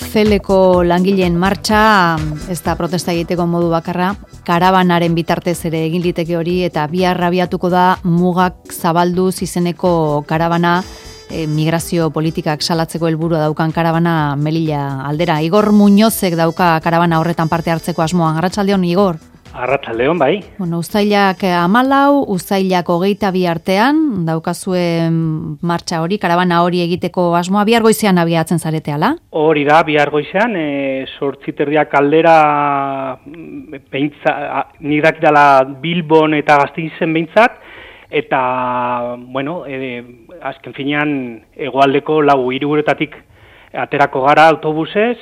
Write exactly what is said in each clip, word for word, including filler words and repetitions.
Celeko langileen martxa, ez da protesta egiteko modu bakarra, karabanaren bitartez ere egin liteke hori, eta bihar abiatuko da mugak zabalduz izeneko karabana, e, migrazio politikak salatzeko helburua daukan karabana Melilla aldera. Igor Muñozek dauka karabana horretan parte hartzeko asmoa. Arratsaldeon, Igor. Arratsaldeon, bai. Bueno, uztailak hamalau, uztailak hogeita bi artean, daukazue martxa hori, karabana hori egiteko asmoa, bihar goizean abiatzen zarete, ala? Hori da, bihar goizean, e, sortziterdiak aldera, beintza, nik dakitala Bilbon eta Gasteizen behintzat, eta, bueno, e, azken finean, hegoaldeko lau hiriburutatik aterako gara autobusez,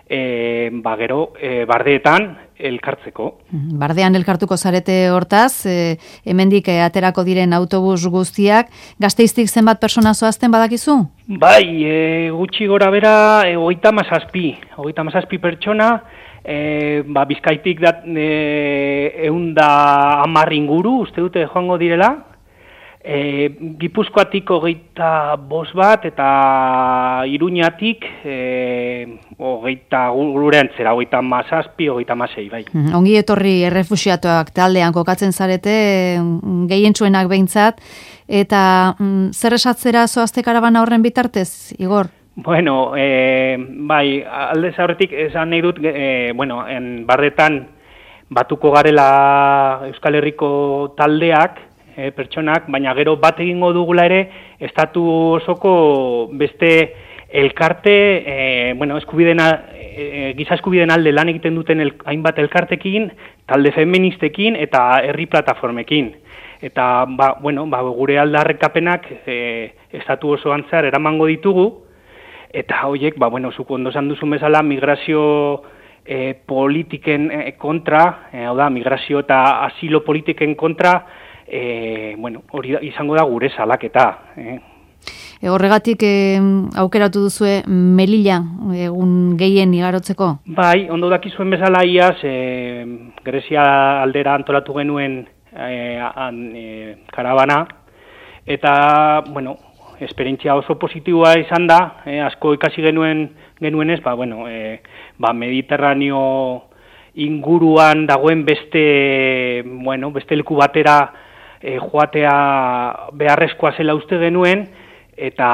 e, ba, gero, e, bardeetan, elkartzeko. Bardean elkartuko zarete hortaz, e, hemendik e, aterako diren autobus guztiak, Gasteiztik zenbat persona zoazten badakizu? Bai, e, gutxi gora bera, e, hogeita hamazazpi, hogeita hamazazpi pertsona, e, ba, Bizkaitik da, e, eunda hamar inguru, uste dute joango direla, E, Gipuzkoatik hogeita bost bat eta Iruñatik e, hogeita gureantzera, hogeita mazazpi, hogeita mazei, bai. Ongi etorri errefuxiatuak taldean kokatzen zarete, gehientsuenak behintzat, eta mm, zer esatzera zoazte karabana horren bitartez, Igor? Bueno, e, bai, aldez aurretik esan nahi dut, e, bueno, en barretan batuko garela Euskal Herriko taldeak, E, pertsonak, baina gero bat egingo dugula ere, estatu osoko beste elkarte, e, bueno, eskubidena, e, giza eskubiden alde lan egiten duten el, hainbat elkartekin, talde feministekin eta herri plataformekin. Eta, ba, bueno, ba, gure aldarrekapenak e, estatu osoan zehar eramango ditugu, eta horiek, ba, bueno, zuko ondo esan duzun bezala, migrazio e, politiken e, kontra, e, hau da, migrazio eta asilo politiken kontra, E, bueno, hori da, izango da gure salaketa. Eh. E, horregatik e, aukeratu duzue Melilla egun gehien igarotzeko? Bai, ondo dakizuen bezala iaz, e, Grezia aldera antolatu genuen e, an, e, karabana, eta, bueno, esperientzia oso positiboa izan da, e, asko ikasi genuen genuenez, ba, bueno, e, ba, Mediterraneo inguruan dagoen beste, bueno, beste leku batera E, joatea beharrezkoa zela uste genuen, eta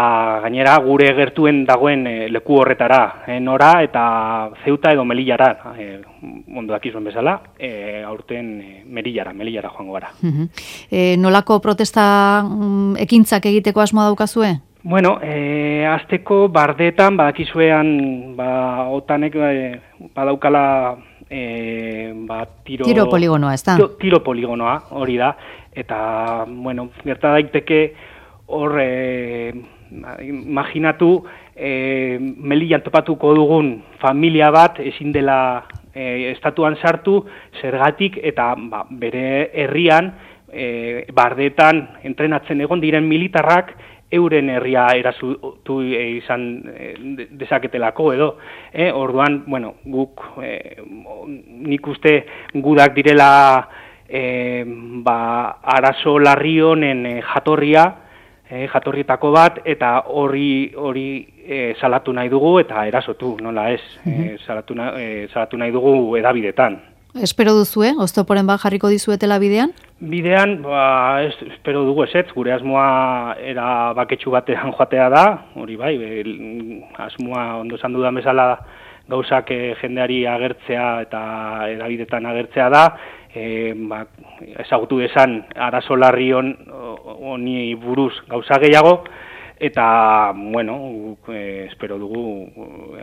gainera gure gertuen dagoen e, leku horretara, e, nora eta Zeuta edo Melillara, e, ondo dakizuen bezala, e, aurten e, Melillara, Melillara joango gara. Uh-huh. E, nolako protesta um, ekintzak egiteko asmoa daukazue? Bueno, e, azteko bardeetan, badakizuean, ba, otanek e, badaukala e, ba, tiro... Tiro poligonoa, ez da? Tiro, tiro poligonoa, hori da. Eta, bueno, gerta daiteke hor, e, imaginatu, e, Melillan topatuko dugun familia bat ezin dela e, estatuan sartu, zergatik eta ba, bere herrian, e, bardeetan entrenatzen egon diren militarrak, euren herria erazutu izan dezaketelako edo. Eh? Orduan, bueno, guk, eh, nik uste gudak direla E, ba, arazo larri honen e, jatorria, e, jatorrietako bat, eta hori hori e, salatu nahi dugu eta erasotu, nola ez, e, salatu, na, e, salatu nahi dugu edabidetan. Espero duzue, oztoporen bat jarriko dizuetela bidean? Bidean, ba, ez, espero dugu ezetz, gure asmoa era baketsu batean joatea da, hori bai, be, asmoa ondo esan dudan bezala gauzak e, jendeari agertzea eta edabidetan agertzea da, E, ba, ezagutu desan arazo larri honi buruz gauza gehiago, eta, bueno, e, espero dugu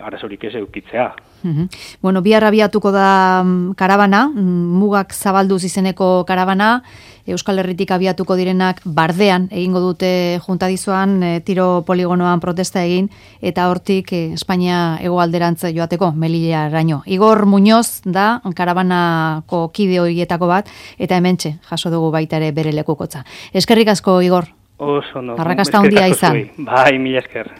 arazorik ez eukitzea. Uh-huh. Bueno, bihar abiatuko da karabana, mugak zabalduz izeneko karabana, Euskal Herritik abiatuko direnak bardean egingo dute juntadizoan e, tiro poligonoan protesta egin, eta hortik e, Espainia hegoalderantz joateko, Melillaraino. Igor Muñoz da karabanako kide horietako bat, eta hementxe jaso dugu baita ere bere lekukotza. Eskerrik asko, Igor. Oso, no. Arrakasta handia izan. Bai, mila esker.